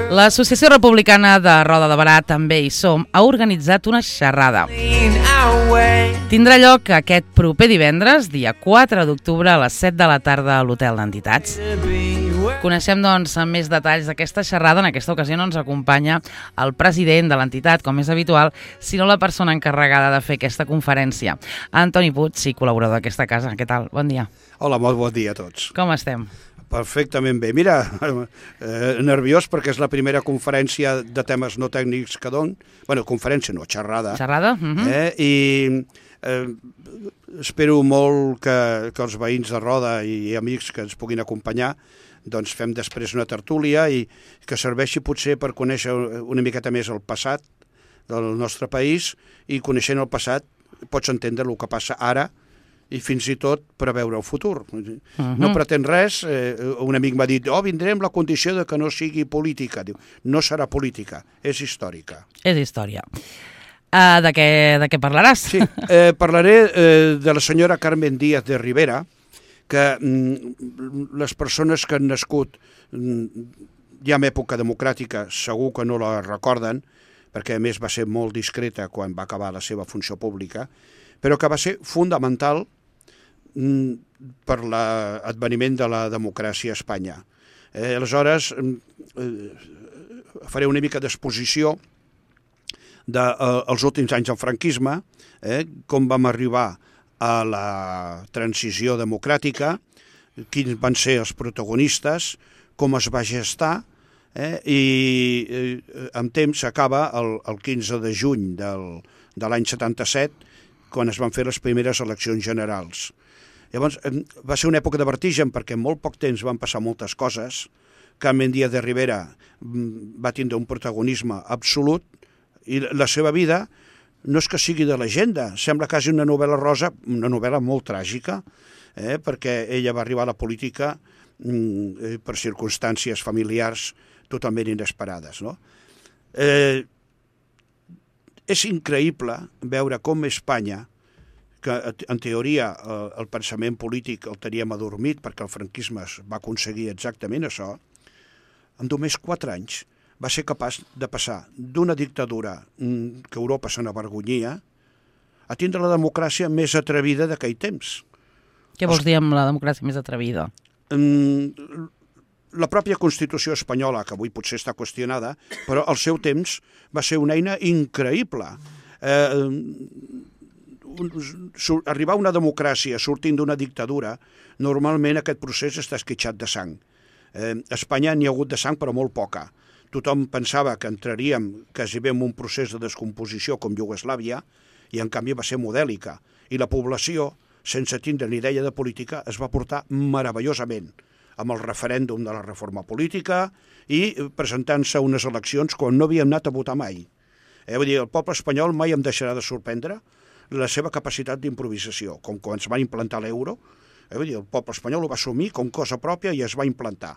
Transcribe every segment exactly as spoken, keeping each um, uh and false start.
L'Associació Republicana de Roda de Berà, també hi som, ha organitzat una xerrada. Tindrà lloc aquest proper divendres, dia quatre d'octubre, a les set de la tarda a l'Hotel d'Entitats. Coneixem, doncs, més detalls d'aquesta xerrada. En aquesta ocasió no ens acompanya el president de l'entitat, com és habitual, sinó la persona encarregada de fer aquesta conferència. Antoni Puig, sí, col·laborador d'aquesta casa. Què tal? Bon dia. Hola, molt bon dia a tots. Com estem? Perfectament bé. Mira, eh, nerviós perquè és la primera conferència de temes no tècnics que dono. Bueno, conferència no, xerrada. Xerrada? Uh-huh. eh, I eh, espero molt que, que els veïns de Roda i amics que ens puguin acompanyar doncs fem després una tertúlia i que serveixi potser per conèixer una miqueta més el passat del nostre país, i coneixent el passat pots entendre el que passa ara i fins i tot preveure el futur. Uh-huh. No pretén res. Eh, un amic m'ha dit, oh, vindrem la condició de que no sigui política. Diu, no serà política, és històrica. És història. Uh, de, què, de què parlaràs? Sí, eh, parlaré eh, de la senyora Carmen Díaz de Rivera, que mm, les persones que han nascut mm, ja en època democràtica segur que no la recorden, perquè a més va ser molt discreta quan va acabar la seva funció pública, però que va ser fundamental per l'adveniment de la democràcia a Espanya. Eh, aleshores, eh, faré una mica d'exposició dels eh, últims anys del franquisme, eh, com vam arribar a la transició democràtica, quins van ser els protagonistes, com es va gestar, eh, i eh, amb temps s'acaba el, el quinze de juny del, de l'any setanta-set, quan es van fer les primeres eleccions generals. Llavors, va ser una època de vertigen perquè en molt poc temps van passar moltes coses. Carmen Díaz de Rivera va tindre un protagonisme absolut i la seva vida no és que sigui de llegenda, sembla quasi una novel·la rosa, una novel·la molt tràgica, eh, perquè ella va arribar a la política mm, per circumstàncies familiars totalment inesperades. No? Eh, és increïble veure com Espanya, que en teoria el pensament polític el teníem adormit perquè el franquisme va aconseguir exactament això, en només quatre anys va ser capaç de passar d'una dictadura que Europa se n'avergonyia a tindre la democràcia més atrevida d'aquell temps. Què vols dir amb la democràcia més atrevida? La pròpia Constitució espanyola, que avui potser està qüestionada, però al seu temps va ser una eina increïble. Eh, arribar a una democràcia sortint d'una dictadura, normalment aquest procés està esquitxat de sang. Eh, a Espanya n'hi ha hagut de sang, però molt poca. Tothom pensava que entraríem quasi bé en un procés de descomposició com Iugoslàvia, i en canvi va ser modèlica. I la població, sense tindre ni idea de política, es va portar meravellosament amb el referèndum de la reforma política i presentant-se a unes eleccions quan no havíem anat a votar mai. Eh, vull dir, el poble espanyol mai em deixarà de sorprendre la seva capacitat d'improvisació, com quan es va implantar l'euro, eh, vull dir, el poble espanyol ho va assumir com cosa pròpia i es va implantar.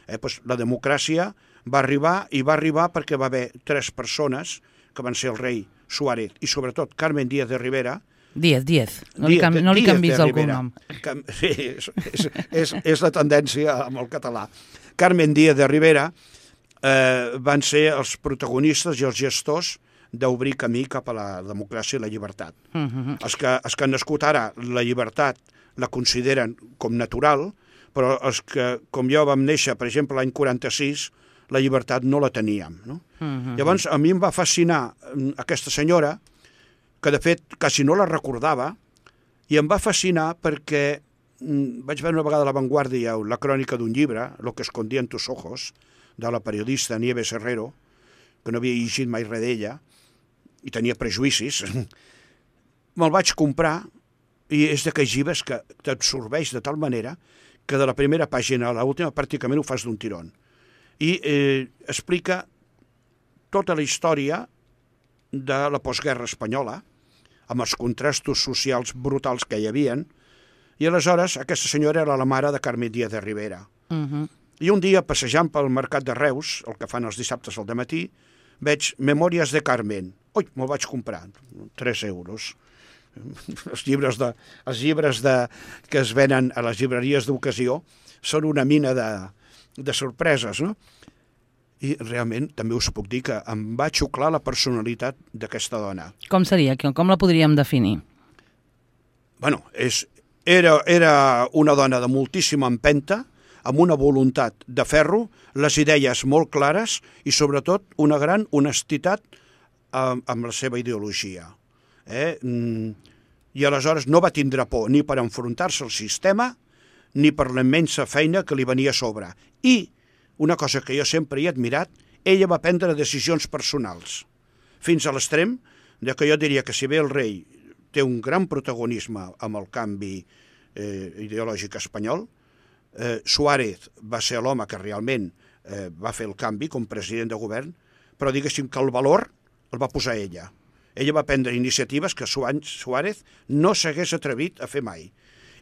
Eh, doncs la democràcia va arribar, i va arribar perquè va haver tres persones, que van ser el rei Suárez i sobretot Carmen Díaz de Rivera. Díaz, Díaz, no li, canvi, no li canvis el cognom. Sí, és, és, és, és la tendència amb el català. Carmen Díaz de Rivera eh, van ser els protagonistes i els gestors d'obrir camí cap a la democràcia i la llibertat. Uh-huh. Els, que, els que han nascut ara, la llibertat la consideren com natural, però els que, com jo, vam néixer, per exemple, l'any quaranta-sis, la llibertat no la teníem. No? Uh-huh. Llavors, a mi em va fascinar aquesta senyora, que de fet quasi no la recordava, i em va fascinar perquè mm, vaig veure una vegada a La Vanguardia la crònica d'un llibre, Lo que escondía en tus ojos, de la periodista Nieves Herrero, que no havia llegit mai res d'ella, i tenia prejuïcis. Me'l vaig comprar, i és d'aquells llibres que t'absorbeix de tal manera que de la primera pàgina a l'última pràcticament ho fas d'un tirón. I eh, explica tota la història de la postguerra espanyola, amb els contrastos socials brutals que hi havien, i aleshores aquesta senyora era la mare de Carmen Díaz de Rivera. Uh-huh. I un dia, passejant pel mercat de Reus, el que fan els dissabtes al dematí, veig Memòries de Carmen. Ui, me'l vaig comprar, tres euros. Els llibres, de, els llibres de, que es venen a les llibreries d'ocasió són una mina de, de sorpreses, no? i realment també us puc dir que em va xuclar la personalitat d'aquesta dona. Com seria? Com la podríem definir? Bueno, és, era, era una dona de moltíssima empenta, amb una voluntat de ferro, les idees molt clares i sobretot una gran honestitat amb, amb la seva ideologia. Eh? I aleshores no va tindre por ni per enfrontar-se al sistema ni per la immensa feina que li venia a sobre. I, una cosa que jo sempre he admirat, ella va prendre decisions personals, fins a l'extrem de que jo diria que si bé el rei té un gran protagonisme amb el canvi eh, ideològic espanyol, eh, Suárez va ser l'home que realment eh, va fer el canvi com president de govern, però diguéssim que el valor el va posar ella. Ella va prendre iniciatives que Suárez no s'hagués atrevit a fer mai.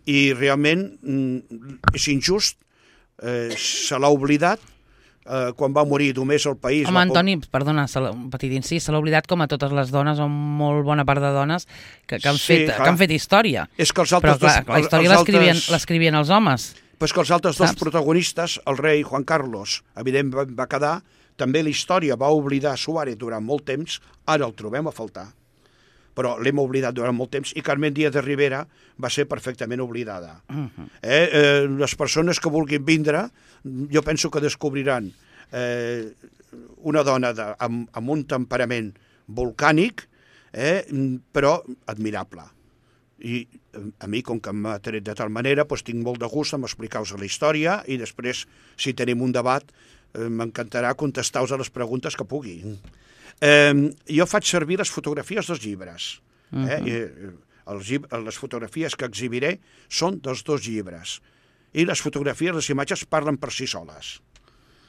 I realment és injust, eh, se l'ha oblidat, eh, quan va morir només el país... Home, Antoni, perdona, un petit incís, se l'ha oblidat com a totes les dones, o molt bona part de dones, que, que, han, sí, fet, que han fet història. És que els altres Però clar, dos, la història altres... l'escrivien els homes. Però és que els altres dos Saps? protagonistes, el rei Juan Carlos, evidentment va quedar, també la història va oblidar Suárez durant molt temps, ara el trobem a faltar. Però l'hem oblidat durant molt temps i Carmen Díaz de Rivera va ser perfectament oblidada. Uh-huh. eh, eh, les persones que vulguin vindre, jo penso que descobriran eh, una dona de, amb, amb un temperament volcànic, eh, però admirable. I a mi, com que m'ha tret de tal manera, doncs tinc molt de gust en explicar-vos la història i després, si tenim un debat, eh, m'encantarà contestar-vos a les preguntes que pugui. Eh, jo faig servir les fotografies dels llibres. Eh? Uh-huh. I, els, les fotografies que exhibiré són dels dos llibres. I les fotografies, les imatges, parlen per si soles.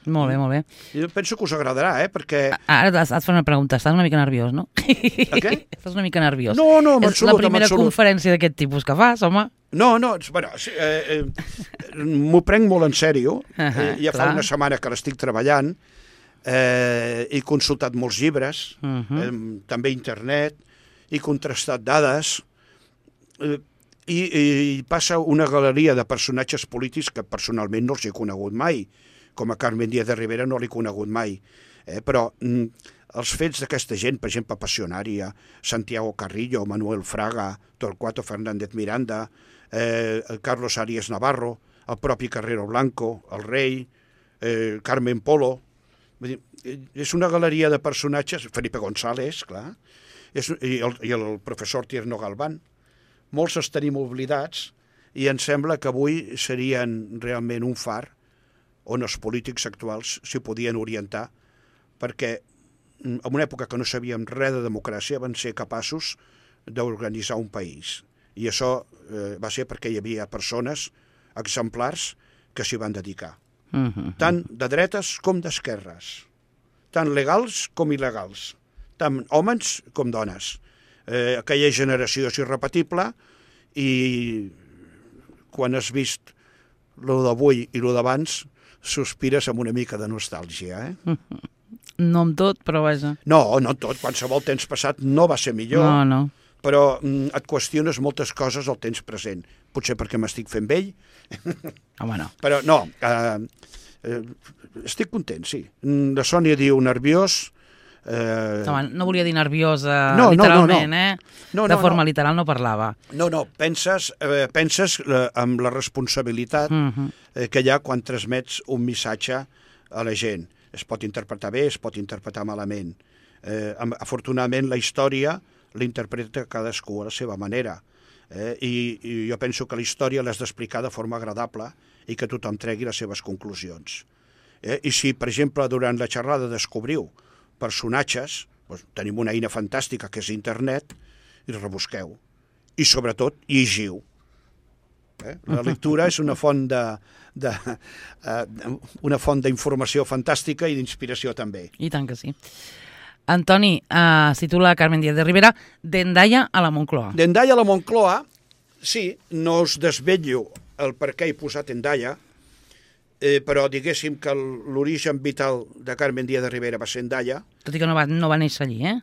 Molt bé, molt bé. Jo penso que us agradarà, eh? Perquè... Ara has de fer una pregunta. Estàs una mica nerviós, no? A què? Estàs una mica nerviós. No, no, en absolut. És la primera conferència d'aquest tipus que fas, home. No, no, bueno, eh, eh, m'ho prenc molt en sèrio. Uh-huh, eh, ja clar. Fa una setmana que l'estic treballant. Eh, he consultat molts llibres, uh-huh. eh, també internet, he contrastat dades, eh, i, i passa una galeria de personatges polítics que personalment no els he conegut mai, com a Carmen Díaz de Rivera no l'he conegut mai, eh, però mm, els fets d'aquesta gent, per exemple, Passionaria, Santiago Carrillo, Manuel Fraga, Torquato Fernández Miranda, eh, Carlos Arias Navarro, el propi Carrero Blanco, el rei, eh, Carmen Polo. Vull dir, és una galeria de personatges, Felipe González, clar, és, i, el, i el professor Tierno Galván. Molts els tenim oblidats i em sembla que avui serien realment un far on els polítics actuals s'hi podien orientar, perquè en una època que no sabíem res de democràcia van ser capaços d'organitzar un país. I això eh, va ser perquè hi havia persones exemplars que s'hi van dedicar. Uh-huh. Tant de dretes com d'esquerres, tant legals com il·legals, tant homes com dones. Eh, aquella generació és irrepetible i quan has vist lo d'avui i lo d'abans sospires amb una mica de nostàlgia. Eh? Uh-huh. No amb tot, però vaja. No, no tot. Qualsevol temps passat no va ser millor. No, no. Però mm, et qüestiones moltes coses al temps present. Potser perquè m'estic fent vell. Home, no. Però no, eh, eh, estic content, sí. La Sònia diu nerviós. Eh... Home, no volia dir nerviosa no, literalment, no, no, no. eh? No, no, de forma no. literal no parlava. No, no, penses, eh, penses eh, amb la responsabilitat uh-huh. eh, que hi ha quan transmets un missatge a la gent. Es pot interpretar bé, es pot interpretar malament. Eh, afortunadament la història l'interpreta cadascú a la seva manera. Eh? I, I jo penso que la història l'has d'explicar de forma agradable i que tothom tregui les seves conclusions. Eh? I si, per exemple, durant la xerrada descobriu personatges, doncs tenim una eina fantàstica que és internet, i rebusqueu. I sobretot, llegiu. Eh? La lectura és una font de, de, uh, una font d'informació fantàstica i d'inspiració també. I tant que sí. Antoni, uh, si tu la Carmen Díaz de Rivera, d'Hendaia a la Moncloa. D'Hendaia a la Moncloa, sí, no us desvetllo el per què he posat Hendaia, eh, però diguéssim que l'origen vital de Carmen Díaz de Rivera va ser Hendaia. Tot i que no va, no va néixer allí, eh?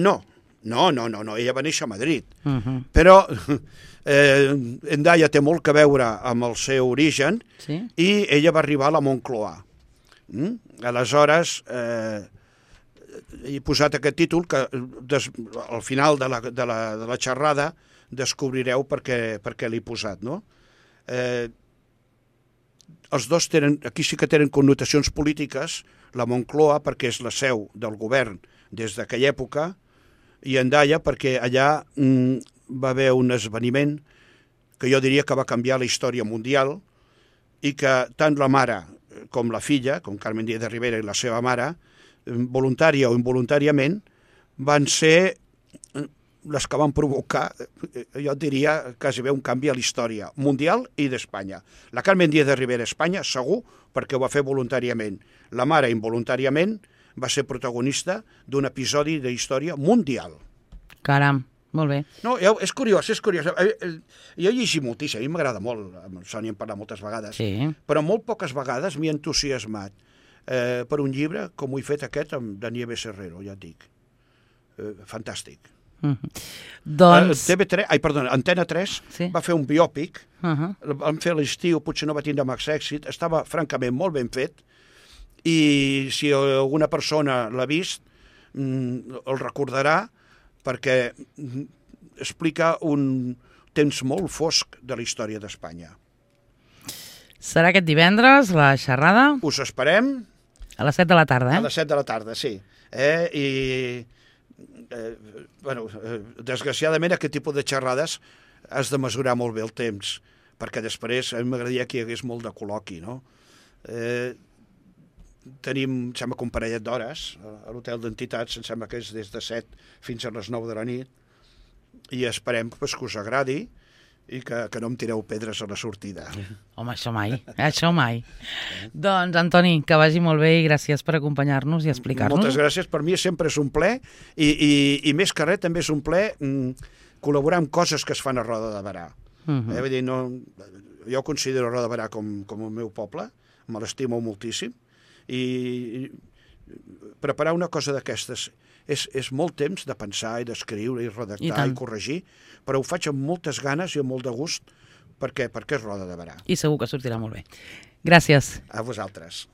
No, no, no, no, no. Ella va néixer a Madrid. Uh-huh. Però eh, Hendaia té molt que veure amb el seu origen, sí? I ella va arribar a la Moncloa. Mm? Aleshores, eh, he posat aquest títol que des, al final de la, de la, de la xerrada descobrireu per què, per què l'he posat, no? Eh, els dos tenen, aquí sí que tenen connotacions polítiques, la Moncloa perquè és la seu del govern des d'aquella època, i Hendaia perquè allà mm, va haver un esdeveniment que jo diria que va canviar la història mundial i que tant la mare com la filla, com Carmen Díaz de Rivera i la seva mare, voluntària o involuntàriament, van ser les que van provocar, jo diria, quasi bé un canvi a la història mundial i d'Espanya. La Carmen Díaz de Rivera a Espanya, segur, perquè ho va fer voluntàriament. La mare, involuntàriament, va ser protagonista d'un episodi de història mundial. Caram, molt bé. No, és curiós, és curiós. Jo he llegit moltíssim, a mi m'agrada molt, amb el Sònia hem parlat moltes vegades, sí. Però molt poques vegades m'he entusiasmat eh, per un llibre com ho he fet aquest amb Daniel Serrero, ja et dic. Eh, fantàstic. Uh -huh. Doncs... T V tres, ai, perdona, Antena tres sí. va fer un biòpic, uh -huh. el vam fer a l'estiu, potser no va tindre massa èxit, estava francament molt ben fet, i si alguna persona l'ha vist, el recordarà, perquè explica un temps molt fosc de la història d'Espanya. Serà aquest divendres, la xerrada? Us esperem. A les set de la tarda, eh? A les set de la tarda, sí. Eh? I, eh, bueno, eh, desgraciadament, aquest tipus de xerrades has de mesurar molt bé el temps, perquè després a mi m'agradaria que hi hagués molt de col·loqui, no? Eh, tenim, em sembla que un parellet d'hores a l'hotel d'entitats, em sembla que és des de set fins a les nou de la nit, i esperem pues, que us agradi i que, que no em tireu pedres a la sortida. Home, això mai, això mai. Doncs, Antoni, que vagi molt bé i gràcies per acompanyar-nos i explicar-nos. Moltes gràcies, per mi sempre és un plaer i, i, i més que res també és un plaer mm, col·laborar amb coses que es fan a Roda de Berà. Uh -huh. eh, vull dir, no, jo considero Roda de Berà com, com el meu poble, me l'estimo moltíssim, i preparar una cosa d'aquestes és, és molt temps de pensar i d'escriure i redactar i, i corregir, però ho faig amb moltes ganes i amb molt de gust perquè, perquè és Roda de Berà. I segur que sortirà molt bé. Gràcies. A vosaltres.